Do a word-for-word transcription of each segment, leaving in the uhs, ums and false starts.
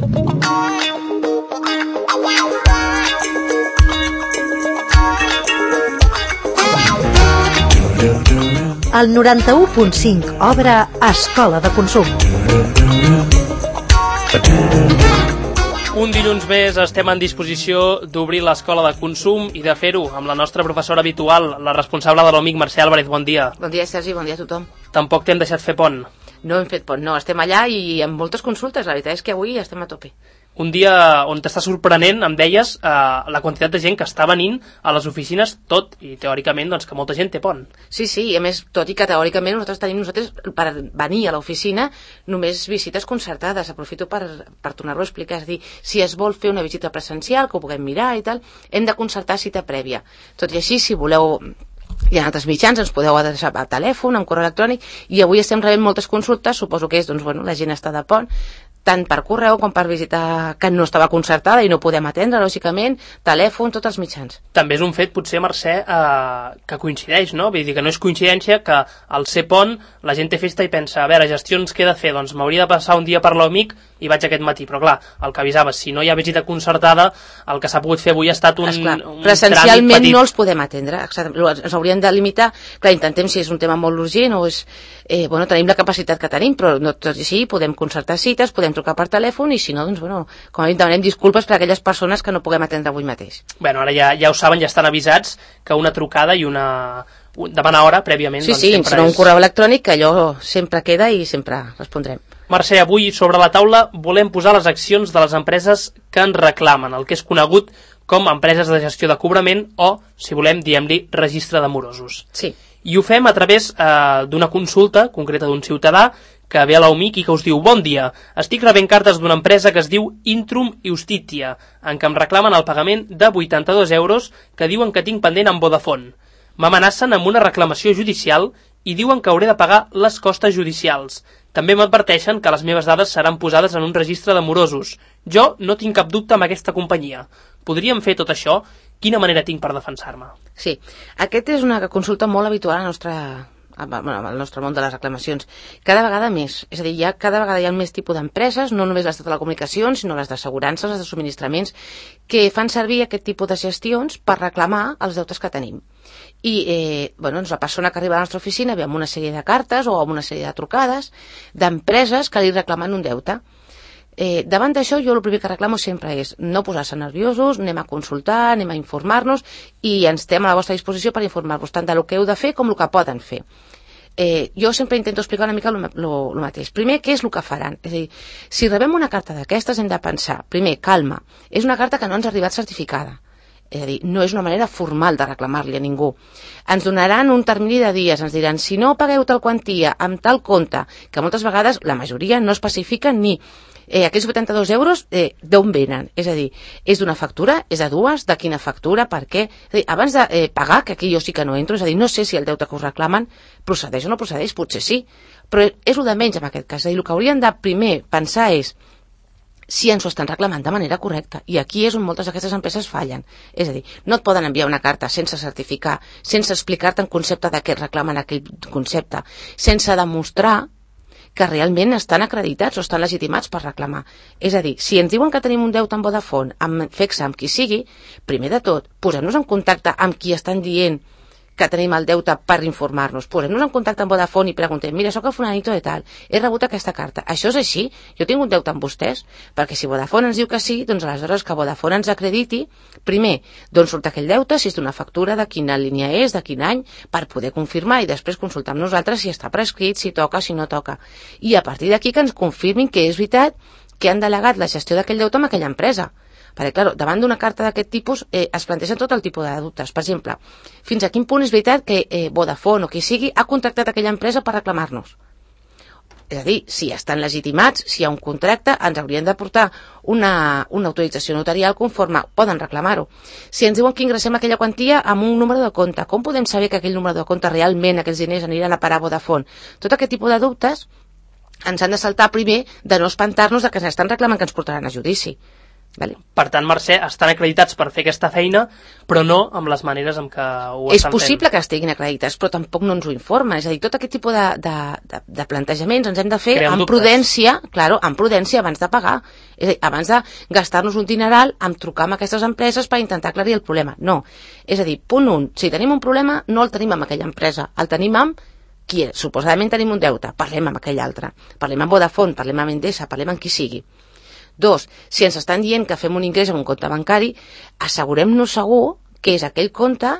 El noranta-u punt cinc obre Escola de Consum. Un dilluns més estem en disposició d'obrir l'Escola de Consum i de fer-ho amb la nostra professora habitual, la responsable de l'O M I C, Mercè Álvarez. Bon dia. Bon dia, Sergi, bon dia a tothom. Tampoc t'hem deixat fer pont. No hem fet pont, no, estem allà i amb moltes consultes, la veritat és que avui estem a tope. Un dia on t'està sorprenent, em deies, eh, la quantitat de gent que està venint a les oficines, tot i teòricament doncs, que molta gent té pont. Sí, sí, i a més, tot i que teòricament nosaltres tenim nosaltres per venir a l'oficina només visites concertades. Aprofito per, per tornar-ho a explicar, és a dir, si es vol fer una visita presencial, que ho puguem mirar i tal, hem de concertar cita prèvia. Tot i així, si voleu... Hi ha altres mitjans, ens podeu adreçar a telèfon, amb correu electrònic, i avui estem rebent moltes consultes, suposo que és, doncs, bueno, la gent està de pont, tant per correu com per visita que no estava concertada i no podem atendre, lògicament, telèfon, tots els mitjans. També és un fet, potser, Mercè, eh, que coincideix, no? Vull dir que no és coincidència que al ser pont la gent té festa i pensa, a veure, gestions què he de fer? Doncs m'hauria de passar un dia per l'O M I C i vaig aquest matí, però clar, el que avisaves, si no hi ha visita concertada, el que s'ha pogut fer avui ha estat un, Esclar, un presencialment tràmit petit. No els podem atendre, ens hauríem de limitar, clar, intentem si és un tema molt urgent o és, eh, bueno, tenim la capacitat que tenim, però no tot i així podem concertar cites, podem trucar per telèfon i si no, doncs, bueno, com a mínim demanem disculpes per a aquelles persones que no puguem atendre avui mateix. Bueno, ara ja, ja ho saben, ja estan avisats que una trucada i una... demanar hora prèviament. Sí, doncs, sí, sempre serà és... un correu electrònic que allò sempre queda i sempre respondrem. Mercè, avui sobre la taula volem posar les accions de les empreses que ens reclamen, el que és conegut com empreses de gestió de cobrament o, si volem, diem-li, registre de morosos. Sí. I ho fem a través eh, d'una consulta concreta d'un ciutadà que ve a l'O M I C i que us diu: bon dia, estic rebent cartes d'una empresa que es diu Intrum Justitia, en què em reclamen el pagament de vuitanta-dos euros que diuen que tinc pendent amb Vodafone. M'amenacen amb una reclamació judicial i diuen que hauré de pagar les costes judicials. També m'adverteixen que les meves dades seran posades en un registre de morosos. Jo no tinc cap dubte amb aquesta companyia. Podríem fer tot això? Quina manera tinc per defensar-me? Sí, aquesta és una consulta molt habitual a la nostra... Bueno, al nostre món de les reclamacions, cada vegada més, és a dir, ja cada vegada hi ha més tipus d'empreses, no només les de telecomunicacions, sinó les d'assegurances, les de subministraments, que fan servir aquest tipus de gestions per reclamar els deutes que tenim. I, eh, bueno, doncs la persona que arriba a la nostra oficina ve amb una sèrie de cartes o amb una sèrie de trucades d'empreses que li reclamen un deute. Eh, davant d'això, jo el primer que reclamo sempre és no posar-se nerviosos, anem a consultar, anem a informar-nos i ens estem a la vostra disposició per informar-vos tant del que heu de fer com el que poden fer. Eh, jo sempre intento explicar una mica el mateix. Primer, què és el que faran? És a dir, si rebem una carta d'aquestes hem de pensar, primer, calma, és una carta que no ens ha arribat certificada. És a dir, no és una manera formal de reclamar-li a ningú. Ens donaran un termini de dies, ens diran, si no pagueu tal quantia amb tal compte, que moltes vegades la majoria no especifiquen ni eh, aquests vuitanta-dos euros eh, d'on venen. És a dir, és d'una factura, és de dues, de quina factura, per què? És a dir, abans de eh, pagar, que aquí jo sí que no entro, és a dir, no sé si el deute que us reclamen procedeix o no procedeix, potser sí, però és el de menys en aquest cas. És a dir, el que haurien de primer pensar és si ens ho estan reclamant de manera correcta. I aquí és on moltes d'aquestes empreses fallen. És a dir, no et poden enviar una carta sense certificar, sense explicar-te en concepte de què reclamen aquell concepte, sense demostrar que realment estan acreditats o estan legitimats per reclamar. És a dir, si ens diuen que tenim un deute amb Vodafone, amb Fexa, amb qui sigui, primer de tot, posem-nos en contacte amb qui estan dient que tenim el deute per informar-nos. Posem-nos en contacte amb Vodafone i preguntem, mira, soc el fulanito de tal, he rebut aquesta carta. Això és així? Jo tinc un deute amb vostès? Perquè si Vodafone ens diu que sí, doncs aleshores que Vodafone ens acrediti, primer, d'on surt aquell deute, si és d'una factura, de quina línia és, de quin any, per poder confirmar i després consultar amb nosaltres si està prescrit, si toca, si no toca. I a partir d'aquí que ens confirmin que és veritat que han delegat la gestió d'aquell deute amb aquella empresa. Perquè, clar, davant d'una carta d'aquest tipus eh, es plantegen tot el tipus de dubtes. Per exemple, fins a quin punt és veritat que eh, Vodafone o qui sigui ha contractat aquella empresa per reclamar-nos? És a dir, si estan legitimats, si hi ha un contracte, ens haurien de portar una, una autorització notarial conforme poden reclamar-ho. Si ens diuen que ingressem aquella quantia amb un número de compte, com podem saber que aquell número de compte realment, aquells diners aniran a parar a Vodafone? Tot aquest tipus de dubtes ens han de saltar primer de no espantar-nos de que ens estan reclamant que ens portaran a judici. Vale? Per tant, Mercè, estan acreditats per fer aquesta feina, però no amb les maneres en què ho És estan possible fent. que estiguin acreditats, però tampoc no ens ho informen. És a dir, tot aquest tipus de, de, de, de plantejaments ens hem de fer Creen amb dubtes. prudència, claro, amb prudència abans de pagar. És a dir, abans de gastar-nos un dineral amb trucar amb aquestes empreses per intentar aclarir el problema. No. És a dir, punt un, si tenim un problema, no el tenim amb aquella empresa, el tenim amb qui és. Suposadament tenim un deute, parlem amb aquell altre. Parlem amb Vodafone, parlem amb Endesa, parlem amb qui sigui. Dos, si ens estan dient que fem un ingrés en un compte bancari, assegurem-nos segur que és aquell compte,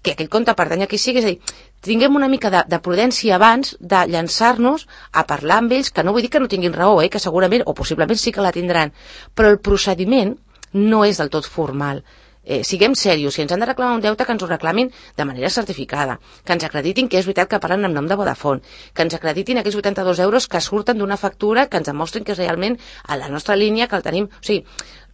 que aquell compte pertany a qui sigui, és a dir, tinguem una mica de, de prudència abans de llançar-nos a parlar amb ells, que no vull dir que no tinguin raó, eh, que segurament, o possiblement sí que la tindran, però el procediment no és del tot formal. Eh, siguem serios, si ens han de reclamar un deute, que ens ho reclamin de manera certificada, que ens acreditin que és veritat que parlen en nom de Vodafone, que ens acreditin aquells vuitanta-dos euros que surten d'una factura, que ens demostrin que és realment a la nostra línia, que el tenim, o sigui,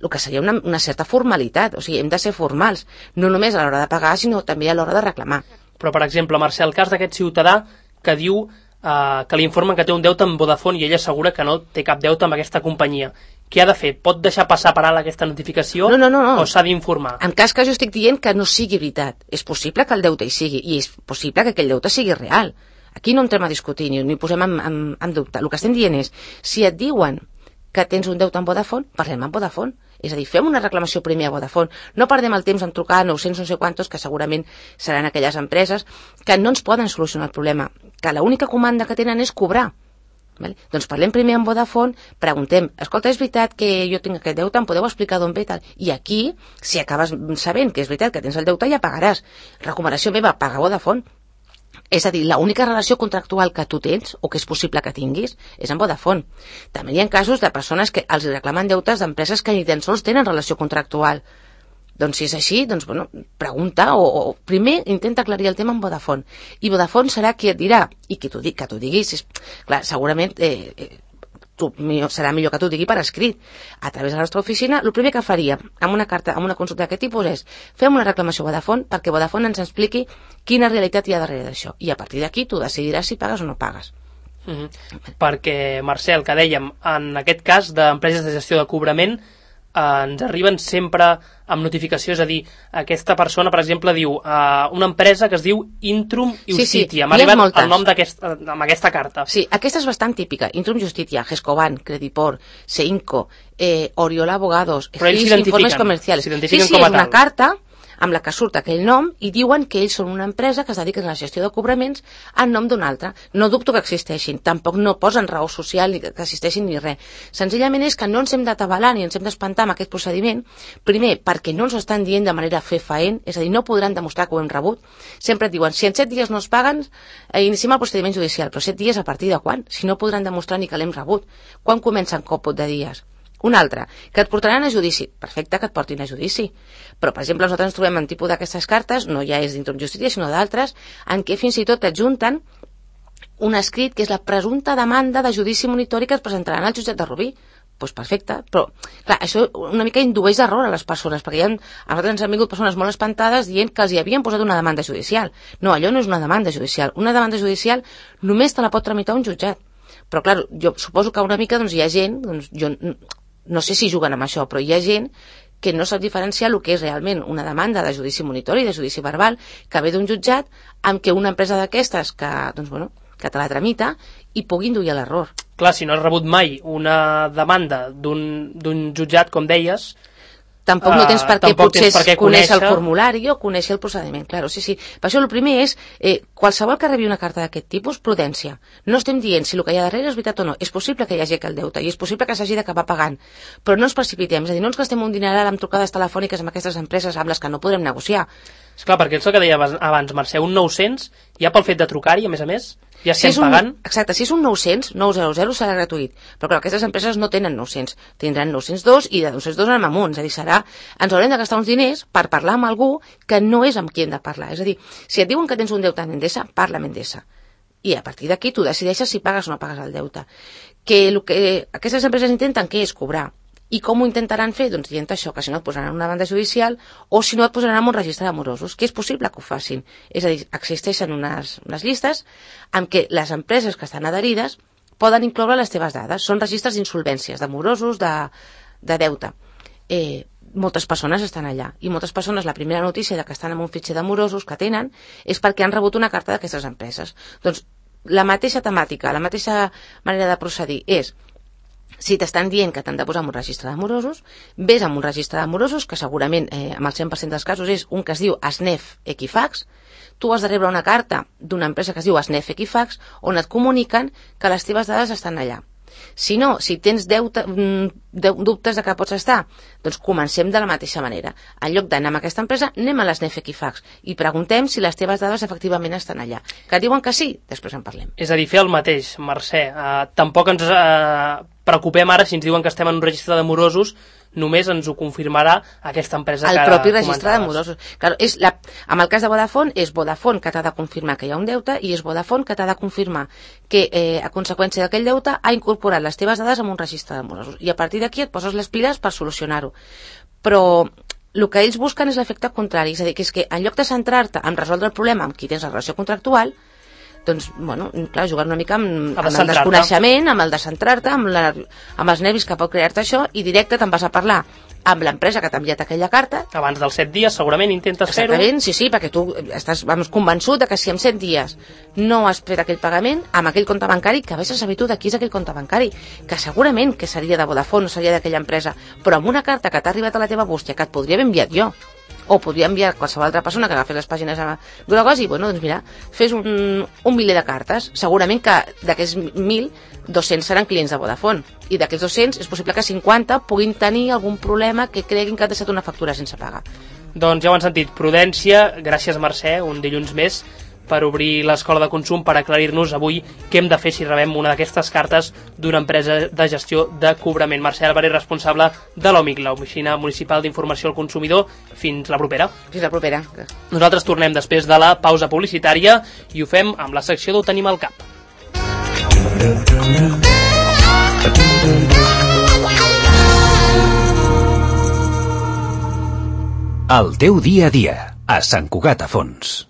el que seria una, una certa formalitat, o sigui, hem de ser formals, no només a l'hora de pagar, sinó també a l'hora de reclamar. Però, per exemple, Mercè, el cas d'aquest ciutadà que diu eh, que li informen que té un deute amb Vodafone i ella assegura que no té cap deute amb aquesta companyia. Què ha de fer? Pot deixar passar per alt aquesta notificació no, no, no, no. o s'ha d'informar? En cas que jo estic dient que no sigui veritat, és possible que el deute hi sigui i és possible que aquell deute sigui real. Aquí no entrem a discutir ni, ni posem en, en, en dubte. El que estem dient és, si et diuen que tens un deute amb Vodafone, parlem amb Vodafone. És a dir, fem una reclamació primer a Vodafone. No perdem el temps en trucar a nou-cents no sé quantos, que segurament seran aquelles empreses que no ens poden solucionar el problema, que l'única comanda que tenen és cobrar. Vale? Doncs parlem primer amb Vodafone, preguntem, escolta, és veritat que jo tinc aquest deute, em podeu explicar d'on ve tal? I aquí, si acabes sabent que és veritat que tens el deute, ja pagaràs. Recomanació meva, paga Vodafone. És a dir, l'única relació contractual que tu tens, o que és possible que tinguis, és amb Vodafone. També hi ha casos de persones que els reclamen deutes d'empreses que ni tan sols tenen relació contractual. Doncs si és així, doncs, bueno, pregunta o, o primer intenta aclarir el tema amb Vodafone. I Vodafone serà qui et dirà, i qui t'ho, que t'ho diguis, és, clar, segurament eh, eh, tu, serà millor que t'ho digui per escrit. A través de la nostra oficina, el primer que faria amb una carta, amb una consulta d'aquest tipus és fem una reclamació a Vodafone perquè Vodafone ens expliqui quina realitat hi ha darrere d'això. I a partir d'aquí tu decidiràs si pagues o no pagues. Mm-hmm. Perquè, Marcel, que dèiem, en aquest cas d'empreses de gestió de cobrament, eh, ens arriben sempre amb notificació, és a dir, aquesta persona, per exemple, diu eh, una empresa que es diu Intrum Justitia. Sí, sí, m'ha arribat el nom d'aquest, amb aquesta carta. Sí, aquesta és bastant típica. Intrum Justitia, Gescoban, Credipor, Seinco, eh, Oriola Abogados, Informes Comerciales. Sí, sí, és una carta amb la que surt aquell nom i diuen que ells són una empresa que es dedica a la gestió de cobraments en nom d'un altre. No dubto que existeixin, tampoc no posen raó social ni que existeixin ni res. Senzillament és que no ens hem d'atabalar ni ens hem d'espantar amb aquest procediment, primer perquè no ens ho estan dient de manera fefaent, és a dir, no podran demostrar que ho hem rebut. Sempre et diuen, si en set dies no es paguen, eh, iniciem el procediment judicial, però set dies a partir de quan? Si no podran demostrar ni que l'hem rebut. Quan comença en còmput de dies? Un altre, que et portaran a judici. Perfecte que et portin a judici. Però, per exemple, nosaltres ens trobem en tipus d'aquestes cartes, no ja és d'Intrum Justitia, sinó d'altres, en què fins i tot t'adjunten un escrit que és la presumpta demanda de judici monitori que es presentaran al jutjat de Rubí. Doncs pues perfecte, però clar, això una mica indueix error a les persones, perquè hi ha, a nosaltres ens han vingut persones molt espantades dient que els hi havien posat una demanda judicial. No, allò no és una demanda judicial. Una demanda judicial només te la pot tramitar un jutjat. Però clar, jo suposo que una mica doncs, hi ha gent, doncs, jo no sé si juguen amb això, però hi ha gent que no sap diferenciar el que és realment una demanda de judici monitori, de judici verbal, que ve d'un jutjat amb què una empresa d'aquestes que, doncs, bueno, que te la tramita i pugui induir a l'error. Clar, si no has rebut mai una demanda d'un jutjat, com deies, tampoc no tens per què uh, potser per què conèixer el formulari o conèixer el procediment. Claro, sí, sí. Per això el primer és, eh, qualsevol que rebi una carta d'aquest tipus, prudència. No estem dient si el que hi ha darrere és veritat o no. És possible que hi hagi el deute i és possible que s'hagi d'acabar pagant. Però no ens precipitem, és a dir, no ens gastem un dineral amb trucades telefòniques amb aquestes empreses amb les que no podrem negociar. Esclar, perquè és el que deia abans, Mercè, un nou-cents, ja pel fet de trucar-hi, a més a més, ja estem si un, pagant. Exacte, si és un nou-cents, nou cents serà gratuït. Però clar, aquestes empreses no tenen nou-cents, tindran nou-cents dos i de nou-cents dos anem amunt. És a dir, serà, ens haurem de gastar uns diners per parlar amb algú que no és amb qui hem de parlar. És a dir, si et diuen que tens un deute amb Endesa, parla amb Endesa. I a partir d'aquí tu decideixes si pagues o no pagues el deute. Que el que aquestes empreses intenten, què és? Cobrar. I com ho intentaran fer? Doncs dient això, que si no et posaran una demanda judicial o si no et posaran en un registre d'amorosos, que és possible que ho facin. És a dir, existeixen unes, unes llistes en què les empreses que estan adherides poden incloure les teves dades. Són registres d'insolvències, d'amorosos, de, de deute. eh, moltes persones estan allà, i moltes persones la primera notícia de que estan en un fitxer de morosos que tenen és perquè han rebut una carta d'aquestes empreses. Doncs la mateixa temàtica, la mateixa manera de procedir és: si t'estan dient que t'han de posar en un registre de morosos, ves amb un registre de morosos, que segurament eh, amb el cent per cent dels casos és un que es diu S N E F Equifax. Tu has de rebre una carta d'una empresa que es diu S N E F Equifax on et comuniquen que les teves dades estan allà. Si no, si tens deute, de, dubtes de que pots estar, doncs comencem de la mateixa manera. En lloc d'anar amb aquesta empresa, anem a l'S N E F Equifax i preguntem si les teves dades efectivament estan allà. Que diuen que sí, després en parlem. És a dir, fer el mateix, Mercè. Uh, tampoc ens uh, preocupem ara si ens diuen que estem en un registre de morosos, només ens ho confirmarà aquesta empresa el que ara propi registre comentaves. de morosos. Claro, és la, en el cas de Vodafone, és Vodafone que t'ha de confirmar que hi ha un deute i és Vodafone que t'ha de confirmar que eh, a conseqüència d'aquell deute ha incorporat les teves dades en un registre de morosos. I a partir d'aquí et poses les piles per solucionar-ho. Però el que ells busquen és l'efecte contrari, és a dir, que és que en lloc de centrar-te en resoldre el problema amb qui tens la relació contractual, doncs, bueno, clar, jugar una mica amb, amb el desconeixement, amb el de centrar-te, amb, la, amb els nervis que pot crear-te això, i directe te'n vas a parlar amb l'empresa que t'ha enviat aquella carta. Abans dels set dies segurament intentes fer-ho. Exactament, sí, sí, perquè tu estàs vamos, convençut de que si en set dies no has fet aquell pagament amb aquell compte bancari, que vés a saber tu de qui és aquell compte bancari, que segurament que seria de Vodafone o seria d'aquella empresa, però amb una carta que t'ha arribat a la teva bústia que et podria haver enviat jo, o podria enviar qualsevol altra persona que agafi les pàgines grogues i, bueno, doncs mira, fes un, un miler de cartes. Segurament que d'aquests mil, dos-cents seran clients de Vodafone. I d'aquests dos-cents és possible que cinquanta puguin tenir algun problema que creguin que ha deixat una factura sense pagar. Doncs ja ho han sentit. Prudència, gràcies Mercè, un dilluns més, per obrir l'escola de consum, per aclarir-nos avui què hem de fer si rebem una d'aquestes cartes d'una empresa de gestió de cobrament. Mercè Álvarez, responsable de l'O M I C, l'Oficina Municipal d'Informació al Consumidor. Fins la propera. Fins la propera. Nosaltres tornem després de la pausa publicitària i ho fem amb la secció d'Ho tenim al cap. El teu dia a dia, a Sant Cugat a Fons.